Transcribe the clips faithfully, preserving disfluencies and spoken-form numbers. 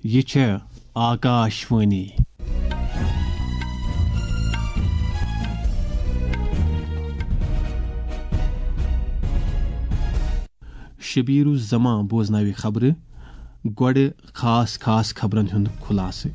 یہِ چھےٚ آکاش وانی۔ شبیر الزمان بوزناوِ خبرٕ۔ گۄڈٕ خاص خاص خبرن ہُنٛد خلاصہٕ۔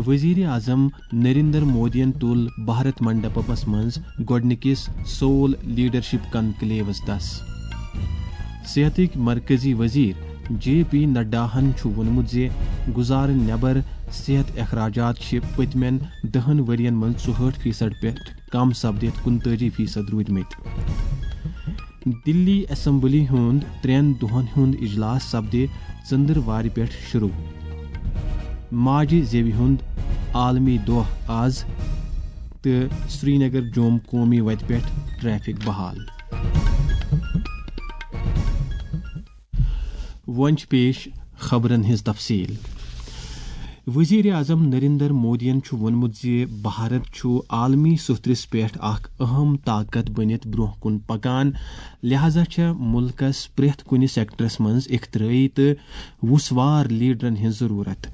وزیر اعظم نریندر مودیَن تُل بھارت منڈپمس منٛز گۄڈٕنِکِس سول لیڈرشپ کنکلیوس دس۔ صحتٕکۍ مرکزی وزیر جے پی نڈاہن چھُ ووٚنمُت زِ گُزارٕ نٮ۪بر صحت اخراجات چھِ پٔتمٮ۪ن دَہن ؤرین منٛز ژُہٲٹھ فیصد پٮ۪ٹھ کم سپدِتھ کُنتٲجی فیصد روٗدمٕتۍ۔ دِلی اسمبلی ہُنٛد ترٛٮ۪ن دۄہن ہُنٛد اجلاس سپدِ ژٔنٛدٕروارِ پٮ۪ٹھ شروع۔ ماجہِ زیوِ ہُنٛد عالمی دۄہ آز تہٕ سرینگر جوم قومی وتہِ پٮ۪ٹھ ٹریفک بحال۔ وۄنۍ چھِ پیش خبرن ہٕنٛز تفصیل۔ وزیر اعظم نریندر مودیَن چھُ ووٚنمُت زِ بھارت چھُ عالمی سوٚتھرِس پٮ۪ٹھ اکھ اہم طاقت بٔنِتھ برٛونٛہہ کُن پکان، لہذا چھےٚ مُلکَس پرٛٮ۪تھ کُنہِ سیکٹرس منٛز اختراعی تہٕ وُسوار لیڈرن ہٕنٛز ضروٗرت۔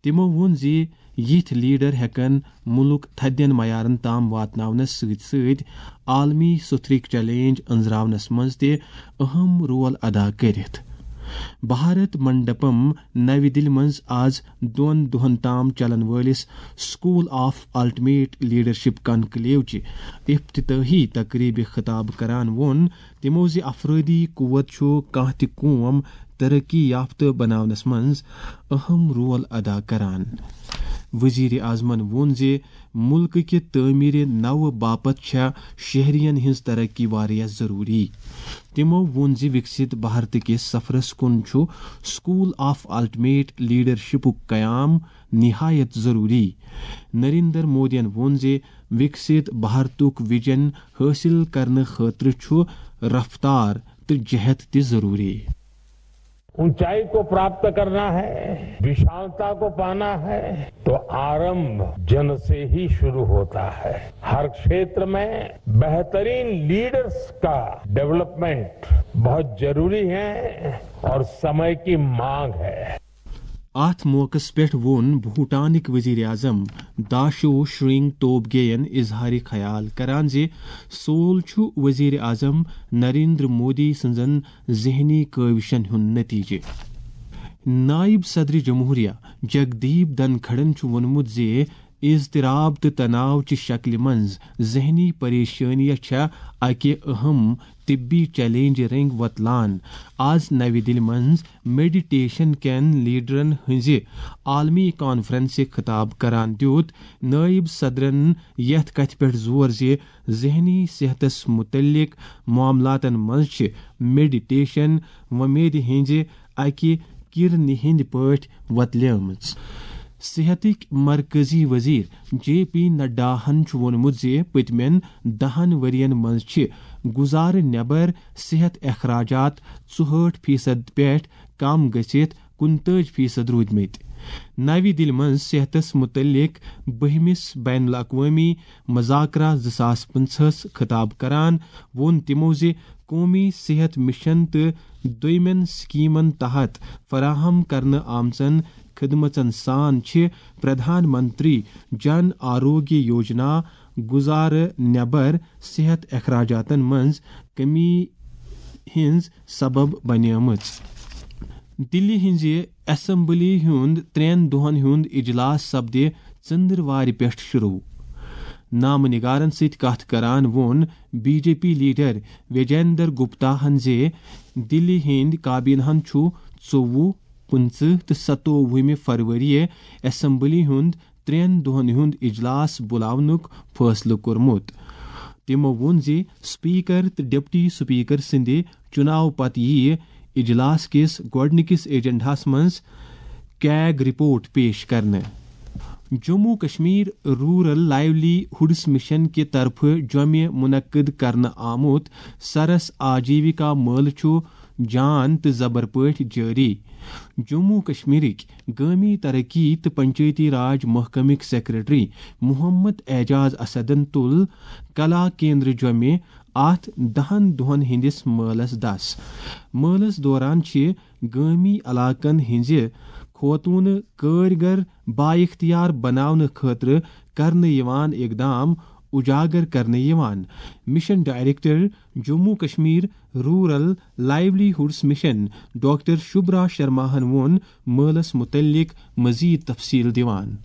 تِمَو ووٚن زِ یِتھۍ لیڈر ہٮ۪کَن مُلک تھدٮ۪ن معیارن تام واتناونس سۭتۍ سۭتۍ عالمی سوٚتھرٕکۍ چیلنج أنٛزراونس منٛز تہِ اہم رول ادا کٔرِتھ۔ بھارت منڈپم نَوِ دِلہِ منٛز آز دۄن دۄہن تام چلن وٲلِس school of ultimate leadership conclave چہِ افتتاحی تقریبہِ خطاب کران ووٚن تِمو زِ افرٲدی قوت چھُ کانٛہہ تہِ قوم ترقی یافتہٕ بناونس منٛز اہم رول ادا کران۔ وزیر اعظمن ووٚن زِ مُلکہٕ کہِ تعمیٖرِ نوِ باپتھ چھےٚ شہرین ہٕنٛز ترقی واریاہ ضروٗری۔ تِمو ووٚن زِ وِکسِت بھارت کِس سفرس کُن چھُ سکول آف الٹیمیٹ لیڈرشپُک قیام نہایت ضروٗری۔ نریندر مودیَن ووٚن زِ وِکسِت بھارتُک وِجن حٲصِل کرنہٕ خٲطرٕ چھُ رفتار تہٕ جہد تہِ ضروٗری۔ ऊंचाई को प्राप्त करना है, विशालता को पाना है, तो आरंभ जन से ही शुरू होता है। हर क्षेत्र में बेहतरीन लीडर्स का डेवलपमेंट बहुत जरूरी है और समय की मांग है। اتھ موقعس پٮ۪ٹھ ووٚن بھوٹانٕکۍ وزیر اعظم داشو شرنگ توبگے ین اظہار خیال کران زِ سول چھُ وزیر اعظم نریندر مودی سٕنٛزن ذہنی کٲوشن ہُنٛد نتیجہٕ۔ نائب صدر جمہوریہ جگدیپ دھنکھڑن چھُ ووٚنمُت زِ اضطراب تہٕ تناو چہِ شکلہِ منٛز ذہنی پریشٲنی چھےٚ اکہِ اہم طبی چیلنج رنگ وۄتلان۔ آز نَوِ دِلہِ منٛز میڈیٹیشن کٮ۪ن لیڈرن ہٕنٛزِ عالمی کانفرنسہِ خطاب کران دیُت نائب صدرن یتھ کتھِ پٮ۪ٹھ زور زِ ذہنی صحتس متعلق معاملاتن منٛز چھِ میڈیٹیشن وۄمید ہٕنٛزِ اکہِ کرنہِ ہٕنٛدۍ پٲٹھۍ وۄتلیمٕژ۔ صحتٕکۍ مرکزی وزیر جے پی نڈاہن چھُ ووٚنمُت زِ پٔتمٮ۪ن دَہن ؤرین منٛز چھِ گُزارٕ نٮ۪بر صحت اخراجات ژُہٲٹھ فیصد پٮ۪ٹھ کم گٔژھِتھ کُنتٲج فیصد روٗدمٕتۍ۔ نَوِ دِلہِ منٛز صحتس مُتعلق بٔہمِس بین الاقوٲمی مذاکرہ زٕ ساس پٕنٛژٕہس خطاب کران ووٚن تِمو زِ قومی صحت مشن تہٕ دوٚیمٮ۪ن سکیمن تحت فراہم کرنہٕ آمژن خدمژن سان چھِ پردھان منتری جن آروگیہ یوجنا گُزارٕ نٮ۪بر صحت اخراجاتن منٛز کمی ہٕنٛز سبب بنیمٕژ۔ دِلہِ ہٕنٛزِ اسمبلی ہُنٛد ترٛٮ۪ن دۄہن ہُنٛد اجلاس سپدِ ژٔنٛدٕروارِ پٮ۪ٹھ شروع۔ نامہٕ نگارن سۭتۍ کتھ کران ووٚن B J P leader Vijender Gupta ہن زِ دِلہِ ہٕنٛدۍ کابینہن چھُ ژوٚوُہ، پٕنٛژٕہ تہٕ ستووُہمہِ فروری اسمبلی ہُنٛد ترٛٮ۪ن دۄہن ہُنٛد اجلاس بُلاونُک فٲصلہٕ کوٚرمُت۔ تِمو ووٚن زِ اسپیکر تہٕ ڈپٹی اسپیکر سٕنٛدِ چُناو پتہٕ یِیہِ اجلاس کِس گۄڈٕنِکِس ایجنڈاہس منٛز کیگ رپورٹ پیش کرنہٕ۔ جموں کشمیر رورل لائیولی ہُڈس مشن کہِ طرفہٕ جوٚمہِ منعقد کرنہٕ آمُت سرس آجیوکا مٲلہٕ چھُ جان تہٕ زبر پٲٹھۍ جٲری۔ جموں کشمیرٕکۍ گٲمی ترقی تہٕ پنچایتی راج محکمٕکۍ سیکرٹری محمد اعجاز اسدن تُل کلا کیندر جوٚمہِ اتھ دَہن دۄہن ہٕنٛدِس مٲلس دس۔ مٲلس دوران چھِ گٲمی علاقن ہٕنٛزِ خوتونہٕ کٲرۍ گر بااختیار بناونہٕ خٲطرٕ کرنہٕ یِوان اقدام اجاگر کرنہٕ یِوان۔ Mission director Jammu Kashmir rural livelihoods mission doctor Shubra شرماہن ووٚن مٲلس متعلق مزید تفصیل دِوان۔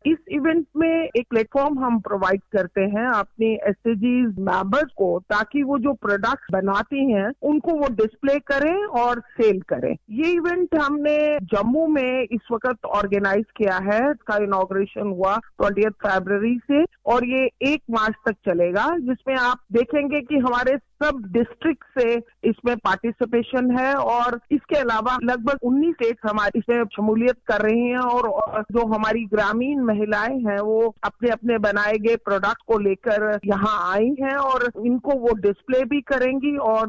इस इवेंट में एक प्लेटफॉर्म हम प्रोवाइड करते हैं अपने एसएचजी मेंबर्स को, ताकि वो जो प्रोडक्ट्स बनाती हैं उनको वो डिस्प्ले करें और सेल करें। ये इवेंट हमने जम्मू में इस वक्त ऑर्गेनाइज किया है। इसका इनॉग्रेशन हुआ ट्वेंटियथ फरवरी से और ये एक मार्च तक चलेगा, जिसमें आप देखेंगे कि हमारे सब डिस्ट्रिक्ट से इसमें पार्टिसिपेशन है और इसके अलावा लगभग उन्नीस स्टेट्स हमारे इसमें शमूलियत कर रही हैं और, और जो हमारी ग्रामीण महिलाएं हैं वो अपने अपने बनाए गए प्रोडक्ट को लेकर यहाँ आई हैं और इनको वो डिस्प्ले भी करेंगी और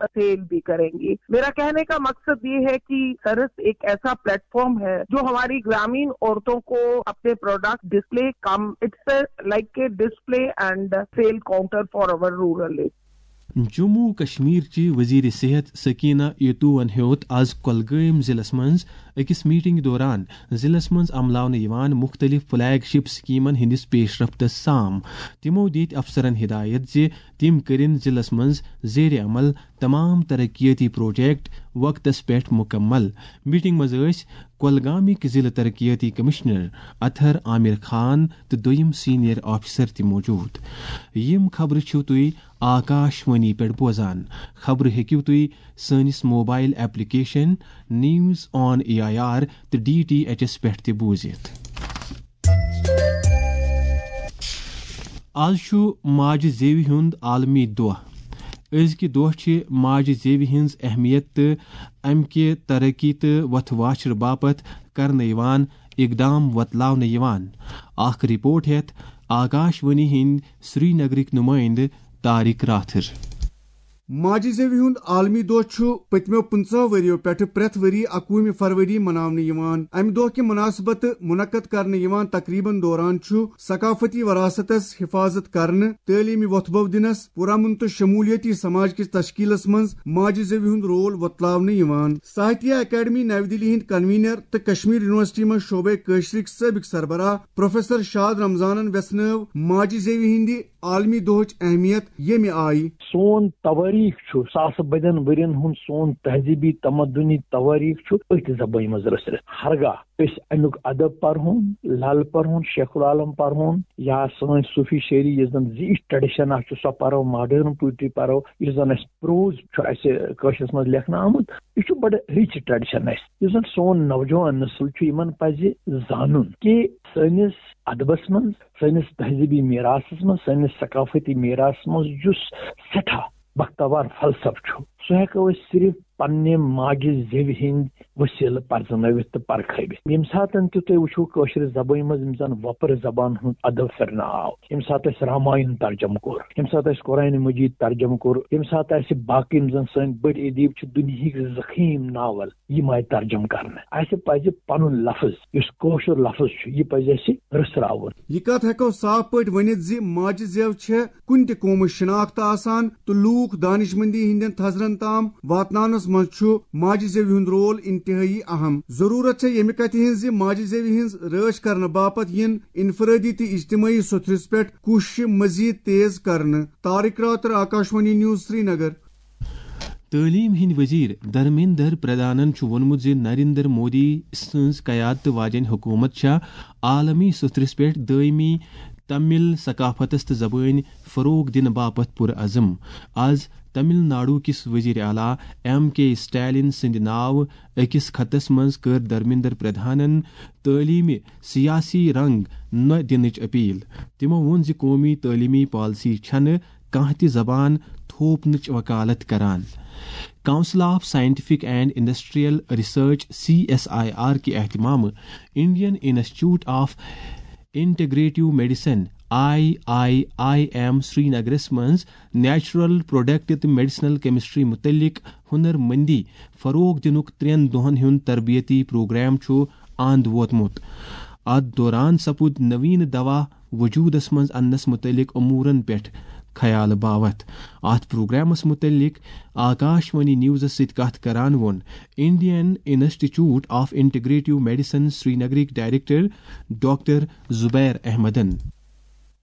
सेल भी करेंगी। मेरा कहने का मकसद ये है कि सरस एक ऐसा प्लेटफॉर्म है जो हमारी ग्रामीण औरतों को अपने product display come, it's like a display and sale counter for our rural area. Jammu و کشمیر چہِ وزیر صحت سکینہ ایتوون ہیوٚت آز کۄلگٲمۍ ضلعس منٛز أکِس میٹنگ دوران ضلعس منٛز عملاونہٕ یِوان مُختٔلِف فلیگ شپ سکیمن ہٕنٛدِس پیش رفتس سام۔ تِمو دِتۍ افسرن ہدایت زِ تِم کٔرِن ضلعس منٛز زیر عمل تمام ترقیتی پروجیکٹ وقتس پٮ۪ٹھ مکمل۔ میٹنگ منٛز ٲسۍ کۄلگامٕکۍ ضلع ترقیتی کمشنر اطہر عامر خان تہٕ دوٚیِم سینئر آفیسر تہِ موجود۔ یِم خبرٕ چھِو تُہۍ آکاش وانی پٮ۪ٹھ بوزان۔ خبرٕ ہیٚکِو تُہۍ سٲنِس mobile application news on A I R تہٕ ڈی ٹی ایچ ایس پٮ۪ٹھ تہِ بوٗزِتھ۔ آز چھُ ماجہِ زیوِ ہُنٛد عالمی دۄہ۔ أزکہِ دۄہ چھِ ماجہِ زیوِ ہٕنٛز اہمیت تہٕ امہِ کہِ ترقی تہٕ وتھ واشرٕ باپتھ کرنہٕ یِوان اقدام وۄتلاونہٕ یِوان۔ اکھ رپورٹ ہیتھ آکاش وانی ہٕنٛدۍ سرینگرٕکۍ نمٲیندٕ طارق راتھر۔ ماجہِ زیوِ ہُنٛد عالمی دۄہ چھُ پٔتمیو پٕنٛژٕہ ؤرِیو پٮ۪ٹھٕ پرٛٮ۪تھ ؤری اکوُہمہِ فروری مناونہٕ یِوان۔ امہِ دۄہ کہِ مناسبتہٕ منعقد کرنہٕ یِوان تقریبن دوران چھُ ثقافتی وراثتس حفاظت کرنہٕ، تعلیمی وۄتھٕ بو دِنس، پرامن تہٕ شمولیتی سماج کِس تشکیلس منٛز ماجہِ زیوِ ہُنٛد رول وۄتلاونہٕ یِوان۔ ساہتیہ اکیڈمی نَوِ دِلہِ ہٕنٛدۍ کنوینر تہٕ کشمیر یونیورسٹی منٛز شعبے کٲشرِکۍ سٲبق سربراہ پروفیسر شاد رمضانن ویژھنٲو ماجہِ زیوِ ہٕنٛدِ عالمی دۄہٕچ اہمیت ییٚمہِ آیہِ۔ سون توٲریٖخ چھُ ساسہٕ بٔدٮ۪ن ؤرین ہُنٛد، سون تہذیٖبی تمدُنی توٲریٖخ چھُ أتھۍ زبٲنۍ منٛز رٔژھرِتھ۔ ہرگاہ أسۍ اَمیُک ادب پرہون، لل پرہون، شیخ العالم پرہون، یا سٲنۍ صوٗفی شٲعری، یُس زن زِ یہِ ٹریڈیشن اکھ چھُ، سۄ پرو، ماڈرن پوئٹری پرو، یُس زن اَسہِ پروز چھُ اَسہِ کٲشرِس منٛز لیکھنہٕ آمُت، یہِ چھُ بڑٕ رِچ ٹریڈیشن اَسہِ، یُس زن سون نوجوان نسل چھُ، یِمن پزِ زانُن کہِ سٲنِس ادبس منٛز، سٲنِس تہذیٖبی میراثس منٛز، سٲنِس ثقافتی میراثس منٛز یُس سٮ۪ٹھاہ بختاوار فلسفہٕ چھُ، سُہ ہٮ۪کو أسۍ صرف پننہِ ماجہِ زیوِ ہٕنٛدۍ وسیلہٕ پرزنٲوِتھ تہٕ پرکھٲوِتھ۔ ییٚمہِ ساتن تہِ تُہۍ وٕچھِو کٲشرِ زبٲنۍ منٛز یِم زن وۄپرٕ زبان ہُنٛد ادب پھِرنہٕ آو، ییٚمہِ ساتہٕ اَسہِ راماین ترجمہٕ کوٚر، ییٚمہِ ساتہٕ اَسہِ قرآنِ مجید ترجمہٕ کوٚر، ییٚمہِ ساتہٕ اَسہِ باقٕے یِم زن سٲنۍ بٔڑۍ ادیٖب چھِ، دُنیہٕکۍ زخیٖم ناول یِم آیہِ ترجمہٕ کرنہٕ۔ اَسہِ پزِ پنُن لفظ، یُس کٲشُر لفظ چھُ، یہِ پزِ اَسہِ رٔژھراوُن۔ یہِ کتھ ہٮ۪کو صاف پٲٹھۍ ؤنِتھ زِ ماجہِ زٮ۪و چھےٚ کُنہِ تہِ قومٕچ شناخت آسان تہٕ لوٗکھ دانشمندی ہٕنٛدٮ۪ن تھزرن تام واتناونس منٛز چھُ ماجہِ زٮ۪وِ ہُنٛد رول انتہٲیی اہم۔ ضروٗرت چھےٚ ییٚمہِ کتھِ ہٕنٛز زِ ماجہِ زٮ۪وِ ہٕنٛز رٲچھ کرنہٕ باپتھ یِن انفرٲدی تہٕ اجتمٲعی سوٚتھرِس پٮ۪ٹھ کوٗششہِ مزید تیز کرنہٕ۔ طارق راتر، آکاشوانی نیوز، سرینگر۔ تعلیٖم ہٕنٛدۍ وزیر دھرمیندر پردھانن چھُ ووٚنمُت زِ نریندر مودی سٕنٛز قیادتہٕ واجیٚنۍ حکوٗمت چھےٚ عالمی سوٚتھرِس پٮ۪ٹھ دٲیمی تمل ثقافتس تہٕ زبٲنۍ فروغ دِنہٕ باپتھ پُرعزم۔ از تمل ناڈو کِس وزیر اعلیٰ ایم کے اسٹالن سٕنٛدِ ناوٕ أکِس خطس منٛز کٔر دھرمیندر پردھانن تعلیمہِ سیاسی رنگ نہ دِنٕچ اپیل۔ تِمو ووٚن زِ قومی تعلیمی پالیسی چھنہٕ کانٛہہ تہِ زبان تھوپنٕچ وکالت کران۔ Council of Scientific and Industrial Research, C S I R کہِ اہتمامہٕ Indian institute of integrative medicine, I I I M, سرینگرس منٛز نیچرل پروڈکٹ تہٕ میڈیسنل کیمسٹری متعلق ہنر مندی فروغ دِنُک ترٛٮ۪ن دۄہن ہُنٛد تربیتی پروگرام چھُ اند ووتمُت۔ اتھ دوران سپُد نوین دوا وجودس منٛز اننس متعلق امورن پٮ۪ٹھ خیال باوتھ۔ اتھ پروگرامس متعلق آکاشوانی نیوزس سۭتۍ کتھ کران ووٚن Indian institute of integrative medicine سرینگرٕکۍ ڈائریکٹر ڈاکٹر زبیر احمدن۔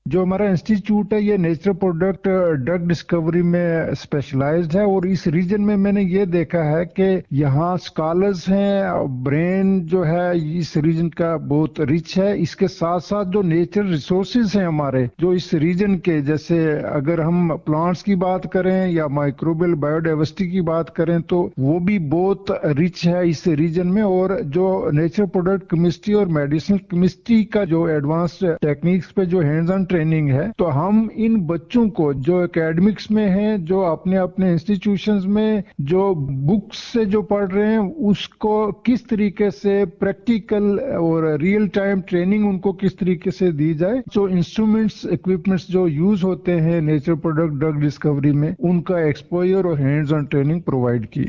جو ہمارا انسٹیٹیوٹ ہے، یہ نیچرل پروڈکٹ ڈرگ ڈسکوری میں اسپیشلائزڈ ہے، اور اس ریجن میں میں نے یہ دیکھا ہے کہ یہاں اسکالرز ہیں، برین جو ہے اس ریجن کا بہت رچ ہے۔ اس کے ساتھ ساتھ جو نیچرل ریسورسز ہیں ہمارے جو اس ریجن کے، جیسے اگر ہم پلانٹس کی بات کریں یا مائیکروبیل بایو ڈائیورسٹی کی بات کریں تو وہ بھی بہت رچ ہے اس ریجن میں۔ اور جو نیچرل پروڈکٹ کیمسٹری اور میڈیسنل کیمسٹری کا جو ایڈوانسڈ ٹیکنیکس پہ جو ہینڈز آن ٹریننگ ہے، تو ہم ان بچوں کو جو اکیڈمکس میں ہیں، جو اپنے اپنے انسٹیٹیوشنز میں جو بکس سے جو پڑھ رہے ہیں، اس کو کس طریقے سے پریکٹیکل اور ریئل ٹائم ٹریننگ ان کو کس طریقے سے دی جائے۔ جو انسٹرومنٹس، اکوپمنٹس جو یوز ہوتے ہیں نیچرل پروڈکٹ ڈرگ ڈسکوری میں، ان کا ایکسپوجر اور ہینڈز آن ٹریننگ پرووائڈ کی۔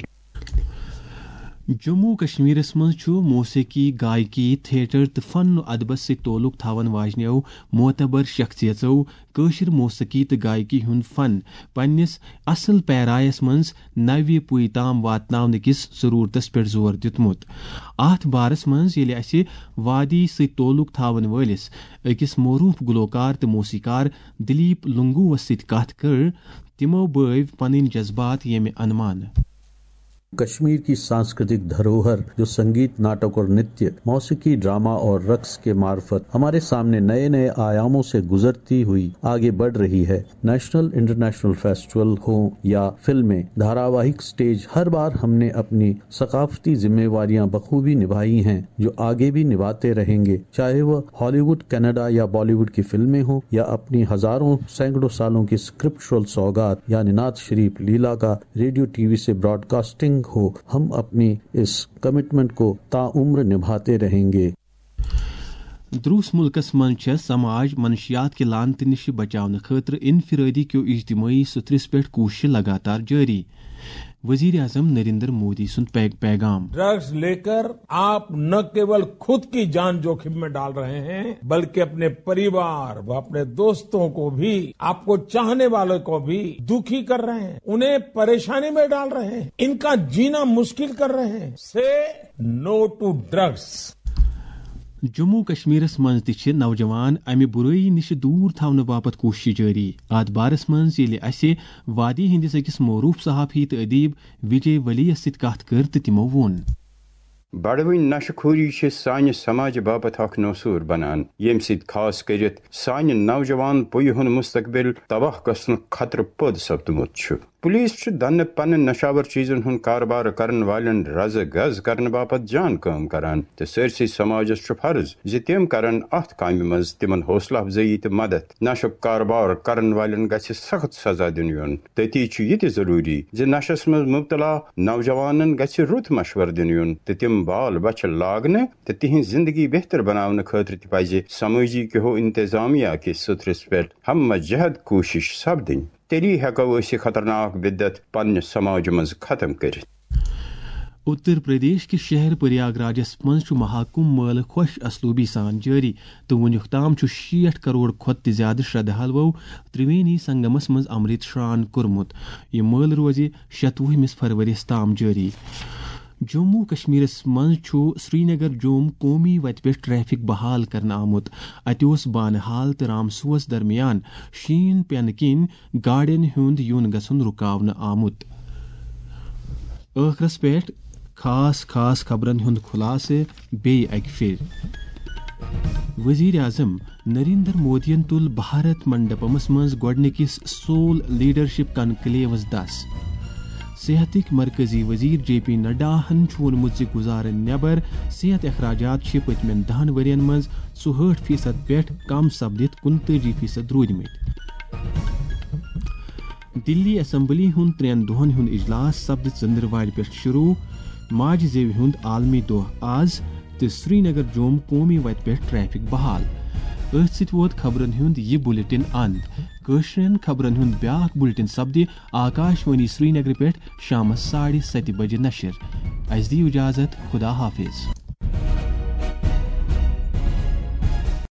جموں و کشمیرس منٛز چھُ موسیقی، گائیکی، تھیٹر تہٕ فن و ادبس سۭتۍ تعلق تھاون واجنیو معتبر شخصیژو کٲشِر موسیقی تہٕ گائیکی ہُنٛد فن پننِس اصل پیرایس منٛز نوِ پُیہِ تام واتناونہٕ کِس ضرورتس پٮ۪ٹھ زور دیُتمُت۔ اتھ بارس منٛز ییٚلہِ اسہِ وادی سۭتۍ تعلق تھاون وٲلِس أکِس معروف گلوکار تہٕ موسیقار دلیپ لنگووس سۭتۍ کتھ کٔر، تِمو بٲوۍ پنٕنۍ جذبات ییٚمہِ انمانہٕ۔ کشمیر کی سانسکرتک دھروہر جو سنگیت، ناٹک اور نتیہ، موسیقی، ڈرامہ اور رقص کے معرفت ہمارے سامنے نئے نئے آیاموں سے گزرتی ہوئی آگے بڑھ رہی ہے۔ نیشنل، انٹرنیشنل فیسٹیول ہوں یا فلمیں، دھاراواہک سٹیج، ہر بار ہم نے اپنی ثقافتی ذمہ واریاں بخوبی نبھائی ہیں، جو آگے بھی نبھاتے رہیں گے، چاہے وہ ہالی ووڈ، کینیڈا یا بالی ووڈ کی فلمیں ہوں یا اپنی ہزاروں، سینکڑوں سالوں کی اسکرپچرل سوغات یعنی نعت شریف لیلا کا ریڈیو ٹی وی سے براڈ کاسٹنگ ہو، ہم اپنی اس کمٹمنٹ کو تا عمر نبھاتے رہیں گے۔ دروس ملکس منٛز چھےٚ سماج منشیات کہِ لعنتہٕ نِش بچاونہٕ خٲطرٕ انفرٲدی کیو اجتمٲعی سُتھرِس پٮ۪ٹھ کوٗششہٕ لگاتار جٲری۔ وزیر اعظم نریندر مودی سُنٛد پے-، پیغام۔ ڈرگز لیکر آپ نہ کیول خود کی جان جوخم میں ڈال رہے ہیں، بلکہ اپنے پریوار و اپنے دوستوں کو بھی، آپ کو چاہنے والوں کو بھی دکھی کر رہے ہیں، انہیں پریشانی میں ڈال رہے ہیں، ان کا جینا مشکل کر رہے ہیں۔ سے نو ٹو ڈرگز۔ جموں کشمیرس منٛز تہِ چھِ نوجوان امہِ بُرٲیی نِش دوٗر تھاونہٕ باپتھ کوٗششہٕ جٲری۔ اتھ بارس منٛز ییٚلہِ اسہِ وادی ہٕنٛدِس أکِس معروف صحافی تہٕ ادیب وجے ولی یس سۭتۍ کتھ کٔر تہٕ تِمو ووٚن۔ بڑوٕنۍ نشہٕ خوری چھِ سانہِ سماجہٕ باپتھ اکھ نوسور بنان، ییٚمہِ سۭتۍ خاص کٔرِتھ سانہِ نوجوان پُیہِ ہُنٛد مستقبل تباہ گژھنُک خطرٕ پٲدٕ سپدمُت چھُ۔ پولیس چھُ دنہٕ پنہٕ نشاور چیزن ہُنٛد کاربار کرن والٮ۪ن رزٕ گز کرنہٕ باپتھ جان کٲم کران تہٕ سٲرسٕے سماجس چھُ فرض زِ تِم کرن اتھ کامہِ منٛز تِمن حوصلہٕ افزٲیی تہٕ مدد۔ نشُک کاربار کرن والٮ۪ن گژھِ سخت سزا دِنہٕ یُن۔ تٔتی چھُ یہِ تہِ ضروٗری زِ نشس منٛز مبتلا نوجوانن گژھِ رُت مشورٕ دِنہٕ یُن تہٕ تِم بال بچھِ لاگنہٕ تہٕ تِہنٛز زندگی بہتر بناونہٕ خٲطرٕ تہِ پزِ سمٲجی کیو انتظامیہ کِس سُتھرِس پٮ۪ٹھ ہمہ جہد کوٗشش سپدٕنۍ۔ تیٚلی ہٮ۪کو أسۍ یہِ خطرناک بدعت پننہِ سماجہِ منٛز ختم کٔرِتھ۔ اتر پردیش کِس شہر پریاگ راجس منٛز چھُ مہاکمبھ مٲلہٕ خۄش اسلوبی سان جٲری تہٕ وُنیُک تام چھُ شیٹھ کرور کھۄتہٕ تہِ زیادٕ شردھالوو ترٛوینی سنگمس منٛز امرت شران کوٚرمُت۔ یہِ مٲلہٕ روزِ شتوُہمِس فرؤریَس تام جٲری۔ جموں و کشمیرس منٛز چھُ سرینگر جوم قومی وتہِ پٮ۪ٹھ ٹریفک بحال کرنہٕ آمُت۔ اتہِ اوس بانہال تہٕ رامسوس درمیان شیٖن پینہٕ کِنۍ گاڑٮ۪ن ہُنٛد یُن گژھُن رُکاونہٕ آمُت۔ ٲخرس پٮ۪ٹھ خاص خاص خبرن ہُنٛد خلاصہٕ بیٚیہِ اکہِ پھِرِ۔ وزیر اعظم نریندر مودیَن تُل بھارت منڈپمس منٛز گۄڈٕنِکِس سول لیڈرشپ کنکلیوس دس۔ صحتٕکۍ مرکزی وزیر جے پی نڈاہن چھُ ووٚنمُت زِ گُزارن نٮ۪بر صحت اخراجات چھِ پٔتمٮ۪ن دہن ؤرین منٛز ژُہٲٹھ فیصد پٮ۪ٹھ کم سپدِتھ کُنتٲجی فیصد روٗدمٕتۍ۔ دِلی اسمبلی ہُنٛد ترٛٮ۪ن دۄہَن ہُنٛد اجلاس سپدِ ژٔنٛدٕروارِ پٮ۪ٹھ شروٗع۔ ماجہِ زیوِ ہُنٛد عالمی دۄہ آز تہٕ سرینگر جوم قومی وتہِ پٮ۪ٹھ ٹریفک بحال۔ أتھۍ سۭتۍ ووت خبرن ہُنٛد یہِ بُلٹن اند۔ کٲشرٮ۪ن خبرن ہُنٛد بیٛاکھ بُلٹن سپدِ آکاشوانی سرینگرٕ پٮ۪ٹھ شامس ساڑِ ستہِ بجہِ نشر۔ اسہِ دِیِو اجازت، خدا حافظ۔